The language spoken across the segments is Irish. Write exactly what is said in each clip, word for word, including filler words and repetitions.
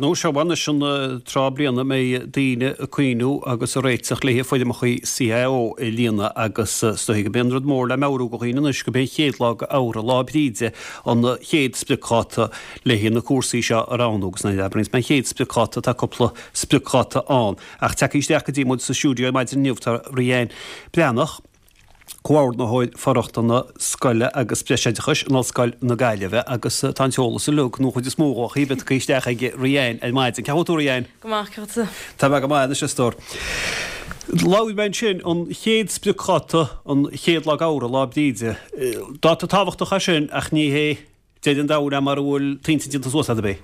Nó seo anois an tráth bliana mbeidh daoine ag cuimhniú agus ag réiteach le foirmeacha CAO a líonadh agus is dóigh go mb'é an rud mór le meabhrú do dhaoine anois go b'é an chéad lá d'Fheabhra, Lá Bríde, an chéad spriocdháta le na cúrsaí seo a roghnú agus nuair a abraíonns mé an chéad spriocdháta tá cúpla spriocdháta ann. Ach tagtha isteach go dtí muid sa stiúideo ar maidin inniu tá Ríanne Breathnach, Comhordaitheoir For-rochtana Scoile agus Breisoideachais in Ollscoil na Gaillimhe agus tá an t-eolas uilig, nó an chuid is mó dhó, chíbe tagtha isteach ag Ríanne ar maidin. Cén chaoi a bhfuil tú Ríanne? Go maith, cén chaoi Tá mé go maith anois a stór. Labhair mé ansin an chéad spriocdháta an chéad lá d'Fheabhra, Lá Bríde. Dáta tábhachtach é sin ach ní hé deireadh an domhain é mura bhfuil t'intinn déanta suas agat ab é?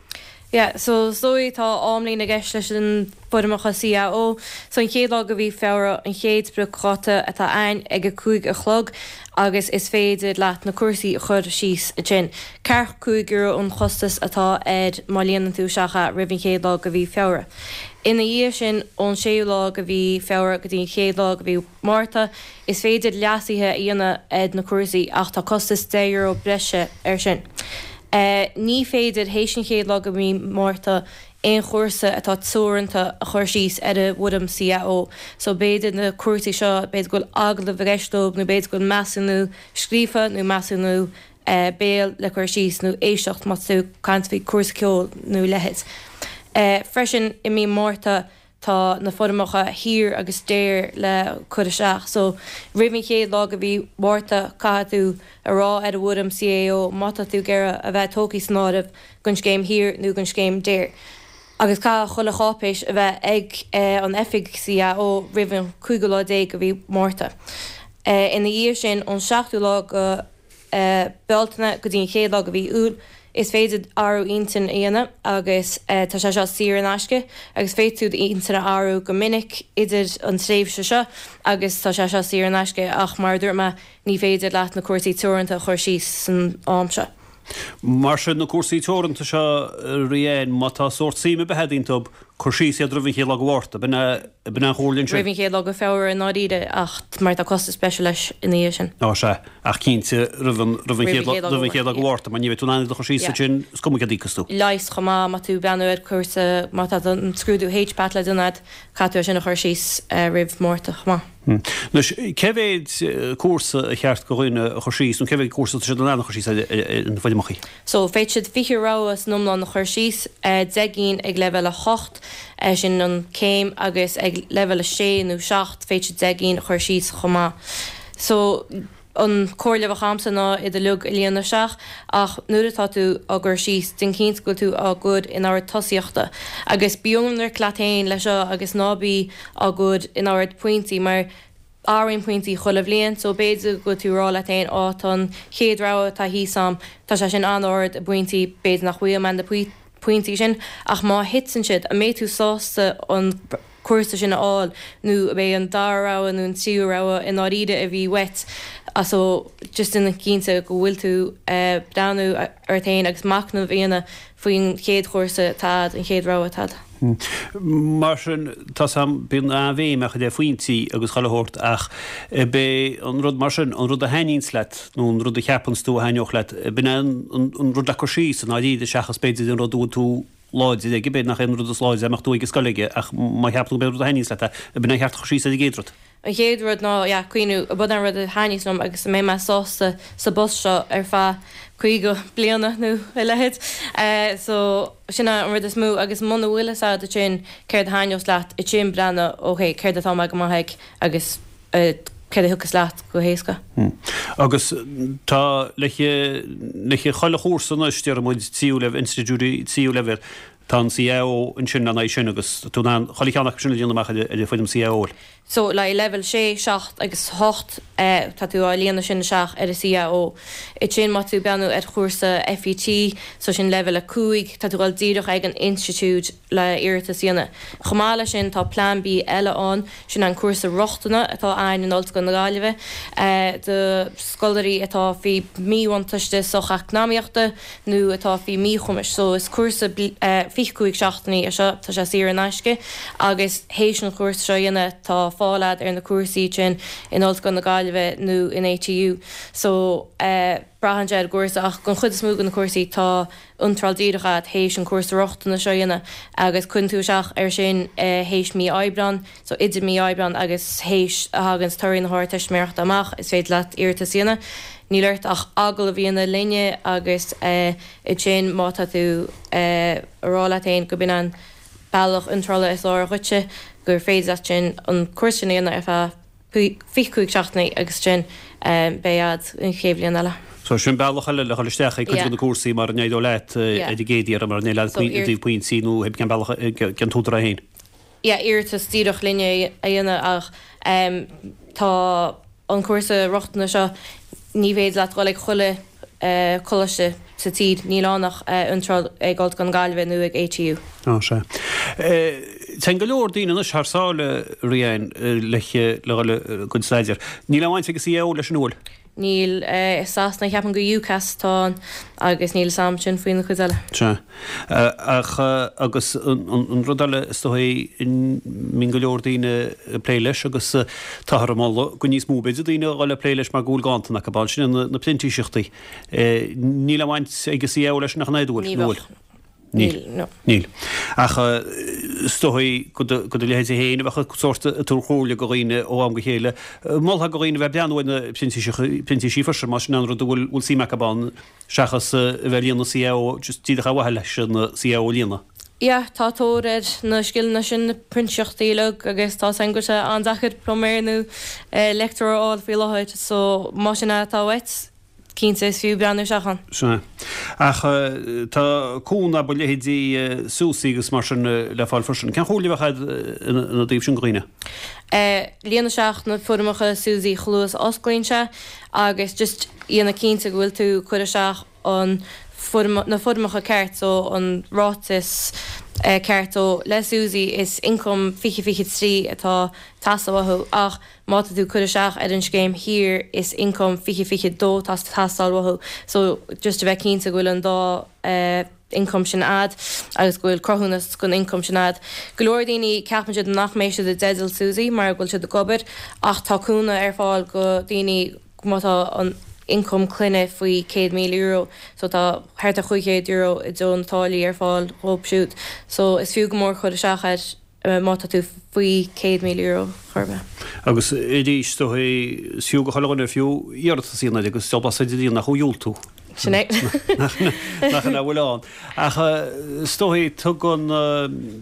Yeah, so is dóigh tá amlíne i gceist leis an foirmeacha CAO. So an chéad lá de mhí Feabhra an chéad spriocdháta atá ann ag a cúig a chlog agus is féidir leat na cúrsaí a chur síos ansin. Ceathracha cúig euro an chostas atá air má líonann tú isteach é roimh an chéad lá de mhí Feabhra. Ina dhiaidh sin ón séú lá de mhí Feabhra go dtí an chéad lá de mhí Márta, is féidir leasuithe a dhéanamh ar na cúrsaí ach tá costas deich euro breise air sin. Ní féidir théis an chéad lá de mhí Márta aon chúrsa atá teoranta a chur síos ar an bhfoirm CAO. So b'fhéidir na cúrsaí seo, b'fhéidir go bhfuil agallamh i gceist leo nó b'fhéidir go bhfuil measúnú scríofa nó measúnú béil le cur síos nó éisteacht má tá tú ag caint faoi cúrsa ceoil nó a leithéid. Freisin i mí Márta tá na foirmeacha HEAR agus DARE le cur isteach. So roimh an chéad lá de mhí Mhárta caithfidh tú a rá ar an bhfoirm CAO má tá tú ag iarraidh a bheith tógtha san áireamh don scéim HEAR nó don scéim DARE. Agus caithfidh chuile cháipéis a bheith ag an oifig CAO roimh an cúigiú lá déag de mhí Márta. Ina dhiaidh sin ón seachtú lá de Bealtaine go dtí an chéad lá de mhí Iúil, is féidir athrú intinn a dhéanamh agus tá sé seo saor in aisce agus féadfaidh tú d'intinn a athrú go minic idir an tréimhse seo agus tá sé seo saor in aisce ach mar a dúirt mé ní féidir leat na cúrsaí teoranta a chur síos san am seo. Mar sin na cúrsaí teoranta seo Ríanne, má tá sórt suim ar bith agat iontu, cur síos iad roimh an chéad lá de Mhárta, b'in b'in an chomhairle ansin. Roimh an chéad lá de Feabhra i ndáiríre ach mar tá costas breise leis ina dhiaidh sin. Á sea, ach cinnte roimh an roimh an chéad roimh an chéad lá de Mhárta mar ní bheidh tú in ann iad a chur síos ansin is cuma céard a íocfas tú. Leighis chomh maith má tú ag breathnú ar cúrsa má tá an scrúdú HPAT le déanamh agat caithfidh tú é sin a chur síos roimh Mhárta chomh maith. Anois, cé mhéid cúrsa a cheart do dhuine a chur síos nó cé mhéid cúrsa atá siad in ann a chur síos ar na foirmeacha? So, féadfaidh siad fiche rogha san iomlán a chur síos, deich gcinn ag leibhéal a hocht, sin an céim, agus ag leibhéal a sé nó seacht féadfaidh siad deich gcinn a chur síos chomh maith. So, an comhairle a bheadh agamsa ná iad uilig a líonadh isteach ach nuair atá tú á gcur síos, déan cinnte go bhfuil tú á gcur in ord tosaíochta. Agus bí ionraic leat féin leis seo agus ná bí á gcur in ord pointí mar athraíonn pointí chuile bhliain so b'fhéidir go bhfuil tú ag rá leat féin á tá an chéad rogha atá thíos a'm, tá sé sin an-ard i bpointí, b'fhéidir nach bhfaighidh mé na pointí sin ach má thiteann siad, an mbeidh tú sásta an cúrsa sin a fháil nó ab é an dara rogha nó an tríú rogha i ndáiríre a bhí uait so just déan cinnte go bhfuil tú ag breathnú ort féin agus machnamh a dhéanamh faoin chéad chúrsa atá a'd, an chéad rogha atá a'd. Mar sin, tá 's a'm, bíonn an-bhéim á chur ar phointí agus chuile shórt ach ab é an rud mar sin, an rud a thaitníonns leat nó an rud a cheapanns tú a thaitneodh leat, b'in é an rud le cur síos i ndáiríre seachas b'fhéidir an rud a bhfuil tú láidir aige, b'fhéidir nach é an rud is láidre a mbeadh tú ag an scoil aige ach má cheapann tú gurb é an rud a thaitníonns leat é, ab in é cheart a chur síos ar an gcéad rud. An chéad rud ná, yeah, cuimhniú, ab é an rud a thaitníos liom agus a mbeidh mé sásta sa bpost seo ar feadh caoga bliana nó a leithéid. So, sin é an rud is mó agus muna bhfuil fhios agat ansin céard a thaitneos leat, ansin breathnú, ok, céard atá mé go maith ag agus céard a thiocfas leat go héasca. Agus tá le le chuile chúrsa anois, déarfaidh muid, tríú leibhéal, institiúidí tríú leibhéal, tá an CAO ansin lena aghaidh sin agus tú in ann chuile cheann acu sin a dhéanamh amach ar an bhfoirm CAO. So le leibhéal sé, seacht agus hocht tá tú á líonadh sin isteach ar an CAO. Ansin má tú ag breathnú ar chúrsa FET, so sin leibhéal a cúig, tá tú ag dul díreach ag an institiúid le iarratas a dhéanamh. Chomh maith leis sin tá Plean B eile ann, sin an cúrsa rochtana atá ann in Ollscoil na Gaillimhe do scoláirí atá faoi mhíbhuntáiste socheacnamaíochta nó atá faoi mhíchumais. So is cúrsa fiche cúig seachtainí é seo, tá sé saor in aisce agus théis an chúrsa seo a dhéanamh tá fáil a'd ar na cúrsaí sin in Ollscoil na Gaillimhe. Gaillimhe nó in ATU. So uh, braitheann sé ar an gcúrsa ach don chuid is mó de na cúrsaí tá iontráil díreach agat théis an cúrsa rochtana seo a dhéanamh agus cuireann tú isteach air sin uh, théis mí Aibreán, so idir mí Aibreán agus théis a thagann torthaí na hArdteistiméireachta amach is féidir leat iarratas a dhéanamh. Níl ort ach agallamh a dhéanamh linne agus uh, ansin má tá tú uh, ag rá leat féin go b'in an bealach iontrála is fearr dhuitse gur féidir leat sin an cúrsa sin a dhéanamh ar feadh fiche cúig seachtainí agus sin beidh agat an chéad bhliain eile. So sin bealach eile le dhul isteach ag cuid de na cúrsaí mara n-éireoidh leat ar an gcéad iarraidh mara n-éireoidh leat i dtaobh pointí nó cén bealach cén t-údar é féin. Yeah, iarratas díreach linne a dhéanamh ach tá an cúrsa rochtana seo ní féidir leat dhul ag chuile coláiste sa tír, níl ann ach iontráil ag Ollscoil na Gaillimhe nó ag ATU. Á, sea. Téann go leor daoine anois thar sáile, Riain, le dhul chun staidéir. Níl aon bhaint ag CAO leis an bhfuil? Níl, i Sasana ceapaim go UCAS atá ann agus níl 'fhios a'm sin faoina chuid eile. Sea. Ach agus an rud eile is dóigh mbíonn go leor daoine ag plé leis agus táthar ag moladh go níos mó b'fhéidir daoine a dhul ag plé leis mar go bhfuil ganntan acu ann, sin na printíseachtaí. Níl aon bhaint ag CAO leis nach ea, bhfuil? Ní bheadh. Níl. No. Níl. Ach is dóigh go do leithéidí féin a bheadh ag sórt ag tabhairt comhairle go dhaoine ó am go chéile, molfá go dhaoine a bheith ag breathnú ar na printísí freisin, más sin an rud a bhfuil suim acu ann, seachas a bheith ag líonadh CAO just díreach ar mhaithe leis an CAO a líonadh. Yeah, tá tóir ar na scileanna sin, na printíseachtaí uilig agus tá 's a'm go bhfuil sé an-deacair pluiméir nó leictreoir a fháil faoi láthair, so más sin atá uait, Cinnte, is fiú breathnú isteach ann. Sea. Ach tá cúnamh ó leithéidí SUSI agus mar sin le fáil freisin. Cén chomhairle a bheadh agat ina dtaobh sin go dhaoine? Líon isteach na foirmeacha SUSI chomh luath is a osclaíonn sé agus just déanamh cinnte go bhfuil tú ag cur isteach an foirm, na foirmeacha ceart so an ráiteas ceart so le SUSI is income fiche fiche trí atá ag teastáil uathu ach má tá tú ag cur isteach ar an scéim thiar is income fiche fiche dó atá ag teastáil uathu so just a bheith cinnte go bhfuil an dá income sin a'd agus go bhfuil cruthúnas gon income sin a'd. Go leor daoine ceapann siad nach mbeidh siad i dteideal SUSI mar go bhfuil siad ag obair ach tá cúnamh ar fáil go daoine má tá an income clainne faoi céad míle euro so tá thart ar chúig chéad euro i dtreo na táillí ar fáil dhóibh siúd so is fiú go mór cur isteach air má tá tú faoi céad míle euro chor ar bith. Agus arís is dóigh is fiú go chuile dhuine fiú iarratas a dhéanamh agus deabhal blas ar dhaoine nach ó dhiúltú. Sin é. Nach ina bhfuil ann. Ach is dóigh tugann,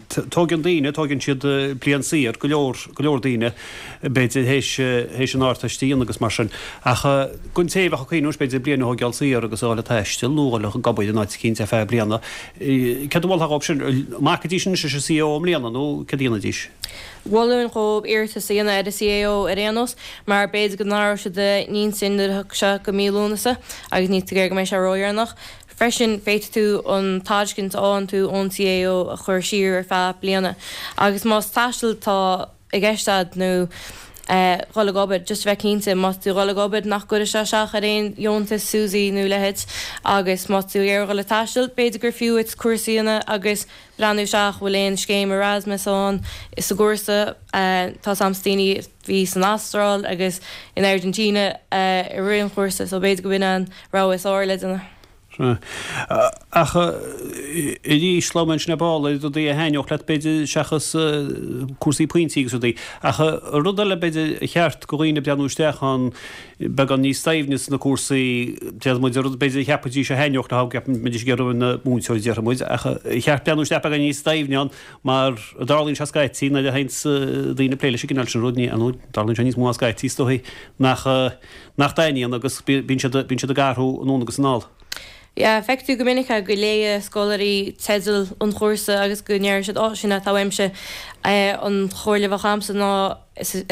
tógann daoine, tógann siad bliain saor, go leor, go leor daoine, b'fhéidir théis, théis an Ardteist a dhéanamh agus mar sin. Ach don té a bheadh ag cuimhneamh, b'fhéidir bliain a thógáil saor agus a dhul ag taisteal nó a dhul ag obair in áit eicínt ar feadh bliana, céard a mholfá dhóibh sin? An mbacaidís anois leis an CAO i mbliana nó céard a dhéanfaidís? Mholfainn dhóibh iarratas a dhéanamh ar an CAO ar aon nós mar b'fhéidir go n-athróidh siad a n-intinn nuair a thiocfaidh sé go mí Lúnasa agus níl tú ag iarraidh go mbeidh sé ródheireanach. Freisin, féadfaidh tú an tairiscint a fhaigheann tú ón CAO a chur siar ar feadh bliana. Agus más taisteal atá i gceist agat nó dhul ag obair, just a bheith cinnte má tá tú ag dhul ag obair nach gcuirfidh sé isteach ar aon dheontas SUSI nó a leithéid agus má tá tú ag iarraidh dhul ag taisteal, b'fhéidir gur fiú duit cúrsa a dhéanamh agus breathnú isteach bhfuil aon scéim Erasmus ann sa gcúrsa. Tá 's a'msa daoine a bhí san Astráil agus in Argentina i rith an chúrsa so b'fhéidir go b'in an rogha is fearr le déanamh. Sea. Ach arís, labhair mé ansin ar ball ar rudaí a thaitneodh leat, b'fhéidir, seachas cúrsaí pointí agus rudaí. Ach rud eile, b'fhéidir, a cheart go dhaoine breathnú isteach ann beagán níos doimhne sna cúrsaí, déarfaidh muid, rud b'fhéidir a cheapfaidís a thaitneodh leo, go mbeidís ag iarraidh a bheith ina múinteoir, déarfaidh muid, ach a cheart breathnú isteach beagán níos doimhne ann mar a dtarlaíonn sé scaití nuair a théanns daoine ag plé leis an gcineál sin rud, ní, nó tarlaíonn sé níos mó ná scaití, is dóigh, nach nach dtaitníonn agus bíonn siad bíonn siad ag athrú anonn agus anall. Yeah, feicfidh tú go minic é go léigh scoláirí teideal an chúrsa agus go ndéarfaidh siad 'Ó, sin é atá uaimse'. An chomhairle a bheadh a'msa ná ar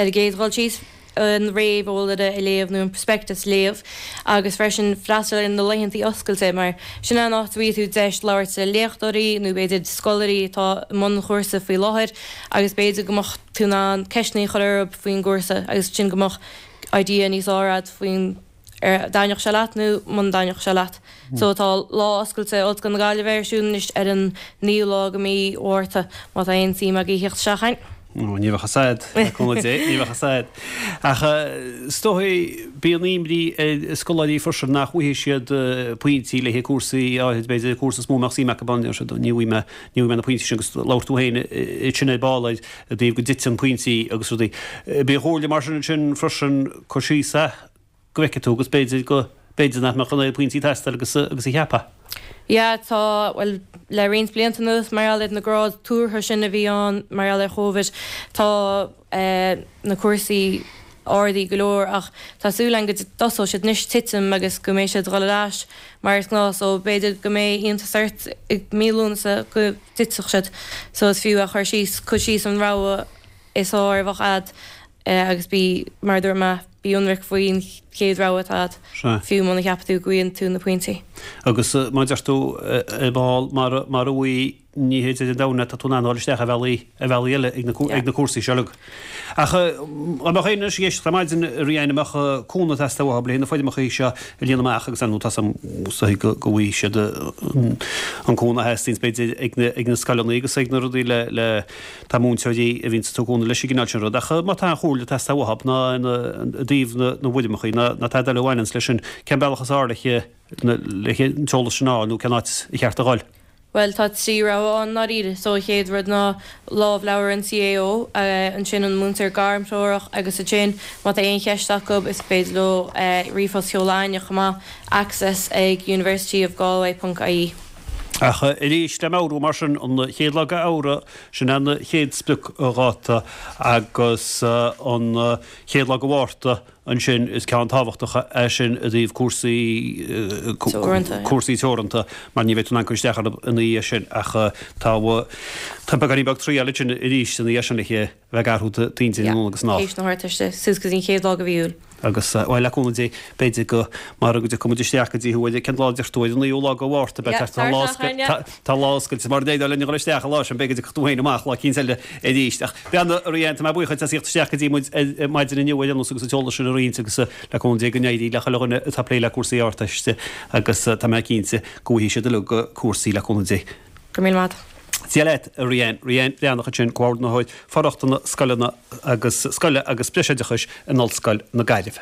an gcéad dhul síos an réamheolaire a léamh nó an prospectus a léamh agus freisin freastal ar na laethantaí oscailte mar sin é an áit a bhfaighidh tú deis labhairt le léachtóirí nó b'fhéidir scoláirí atá i mbun an chúrsa faoi láthair agus b'fhéidir go mbeadh tú in ann ceisteanna a chur orthu faoin gcúrsa agus sin go mbeadh idea níos fearr a'd faoin ar dtaitneodh sé leat nó muna dtaitneodh sé leat. So tá lá oscailte Ollscoil na Gaillimhe ar siúl anois ar an naoú lá de mhí Mhárta má tá aon suim agaibh theacht isteach ann. Ní bheadh fhios a'd, le cúnamh Dé, ní bheadh fhios a'd. Ach is dóigh bíonn imní ar scoláirí freisin nach bhfaighidh siad pointí le haghaidh cúrsaí áirid, b'fhéidir cúrsa is mó a mbeadh suim acu ann, deir siad, ní bhfaighidh mé, ní bhfaighidh mé na pointí sin agus labhair tú féin ansin ar ball ar i dtaobh go dtiteann pointí agus rudaí. B'é an chomhairle mar sin ansin freisin cur síos é go bhfeicfidh tú agus b'fhéidir go, b'fhéidir nach mbeadh an oiread pointí ag teastáil agus agus a cheapfá. Yeah, tá, bhuel, le roinnt blianta anuas, mar gheall ar na gráid tuartha sin a bhí ann mar gheall ar Covid, tá eh, na cúrsaí ardaithe go leor ach tá súil againn go dtosóidh siad anois titim agus go mbeidh siad ag dul ar ais mar is gnáth so b'fhéidir go mbeidh iontas ort i mí Lúnasa go dtitfeadh siad so is fiú a chur síos, cur síos an rogha is fearr a bheadh a'd agus bí, mar a dúirt mé, bí ionraic faoin chéad rogha atá a'd, fiú muna cheapann tú go bhfaigheann tú na pointí. Agus mar a deir tú ar ball, mara bhfaighidh, ní hé Dé Domhnaigh tá tú in ann a dhul isteach ar bhealaí, ar bhealaí eile ag na, ag na cúrsaí seo uilig. Ach dá mbeadh éinne anois ag éisteacht ar maidin, a Rían, a mbeadh cúnamh ag teastáil uathu le haghaidh na foirmeacha seo a líonadh amach agus ar ndóigh tá 's a'm go bhfaighidh siad an cúnamh a theastaíonns b'fhéidir ag na, ag na scoileanna agus ag na rudaí le, le tá múinteoirí a bhíonns ag tabhairt cúnamh leis an gcineál sin rud ach má tá aon chomhairle ag teastáil uathu ná ina i dtaobh na na bhfoirmeacha ná ná tada eile a bhaineanns leis sin, cén bealach is fearr le le an t-eolas sin a fháil nó cén áit a cheart a dhul? Bhuel, tá trí rogha ann ndáiríre. So, an chéad rud ná lámhleabhar an CAO, ansin an múinteoir gairmthreorach agus ansin má tá aon cheist acu is féidir leo ríomhphost a sheoladh chugainne chomh maith, access ag universityofgalway ponc ie. Ach arís, le meabhrú mar sin, an chéad lá de Fheabhra, sin an chéad spriocdháta agus an chéad lá de Mhárta ansin, is ceann tábhachtach é sin i dtaobh cúrsaí, cúrsaí teoranta mar ní bheidh tú in ann cur isteach orthu ina dhiaidh sin ach tá, tá beagáinín beag triail ansin arís ina dhiaidh sin le bheith ag athrú d'intinn anonn agus anall. Théis na hArdteiste, suas go dtí an chéad lá de mhí Iúil. Agus, bhuel, le cúnamh Dé, b'fhéidir go, mar go dtiocfaidh muid isteach go dtí thú, cén lá a deir tú, ar an naoú lá de Mhárta, beidh, tá lá oscailte, tá lá oscailte, mar a déarfá linn a dhul isteach an lá sin, b'fhéidir go dtiocfaidh tú féin amach lá eicínt eile arís. Ach, beannacht, a Rían, tá mé buíoch duit as theacht isteach go dtí muid ar maidin inniu ar aon nós agus an t-eolas sin a roinnt agus le cúnamh Dé go n-éirí le chuile dhuine atá ag plé le cúrsaí Ardteiste agus tá mé cinnte go bhfaighidh siad uilig cúrsaí le cúnamh Dé. Go raibh míle maith agat. Dia leat, a Rían. Rían Breathnach ansin, Comhordaitheoir For-rochtana Scoileanna agus Scoile agus Breisoideachais in Ollscoil na Gaillimhe.